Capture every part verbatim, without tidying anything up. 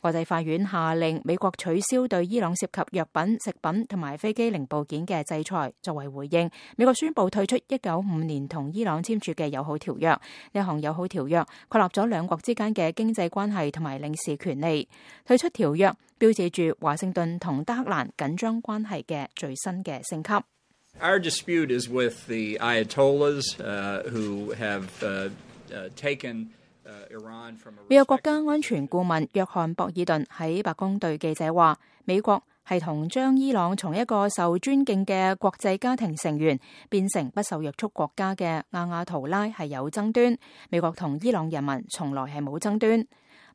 國際法院下令美國取消對伊朗涉及藥品、食品同埋飛機零部件嘅制裁。作為回應，美國宣布退出一九五五年同伊朗簽署嘅友好條約。呢項友好條約確立咗兩國之間嘅經濟關係同埋領事權利。退出條約標誌住華盛頓同德黑蘭緊張關係嘅最新嘅升級。Our dispute is with the Ayatollahs, uh, who have uh, uh, taken uh, 美國國家安全顧問約翰博爾頓喺白宮對記者話，美國係同將伊朗從一個受尊敬嘅國際家庭成員變成不受約束國家嘅亞亞圖拉係有爭端，美國同伊朗人民從來係冇爭端。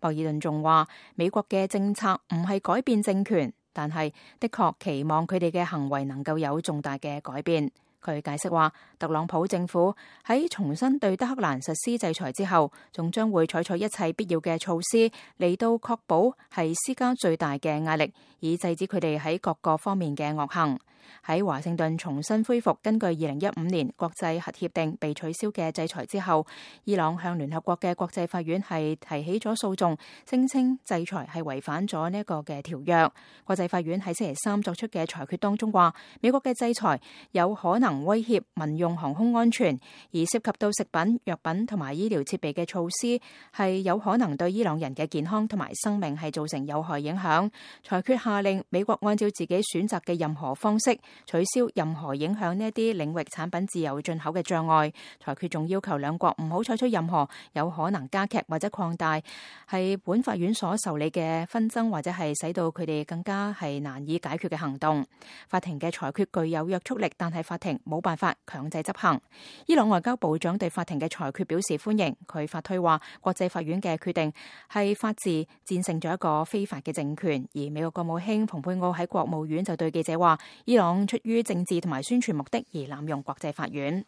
博爾頓仲話，美國嘅政策唔係改變政權，但係的確期望佢哋嘅行為能夠有重大嘅改變。佢解釋話，特朗普政府喺重新對德黑蘭實施制裁之後，仲將會採取一切必要嘅措施嚟到確保係施加最大嘅壓力，以制止佢哋喺各個方面嘅惡行。喺華盛頓重新恢復根據二零一五年國際核協定被取消嘅制裁之後，伊朗向聯合國嘅國際法院係提起咗訴訟，聲稱制裁係違反咗呢一個嘅條約。國際法院喺星期三作出嘅裁決當中話，美國嘅制裁有可能威脅民用航空安全，而涉及到食品、藥品同埋醫療設備嘅措施係有可能對伊朗人嘅健康同埋生命係造成有害影響。裁決下令美國按照自己選擇嘅任何方式取消任何影響呢一啲領域產品自由進口嘅障礙。裁決仲要求兩國唔好採取任何有可能加劇或者擴大係本法院所受理嘅紛爭，或者係使到佢哋更加係難以解決嘅行動。法庭嘅裁決具有約束力，但係法庭冇辦法強制執行。伊朗外交部長對法庭嘅裁決表示歡迎，佢發推話國際法院嘅決定係法治戰勝咗一個非法嘅政權。而美國國務卿蓬佩奧喺國務院就對記者話，伊朗出於政治同埋宣傳目的而濫用國際法院。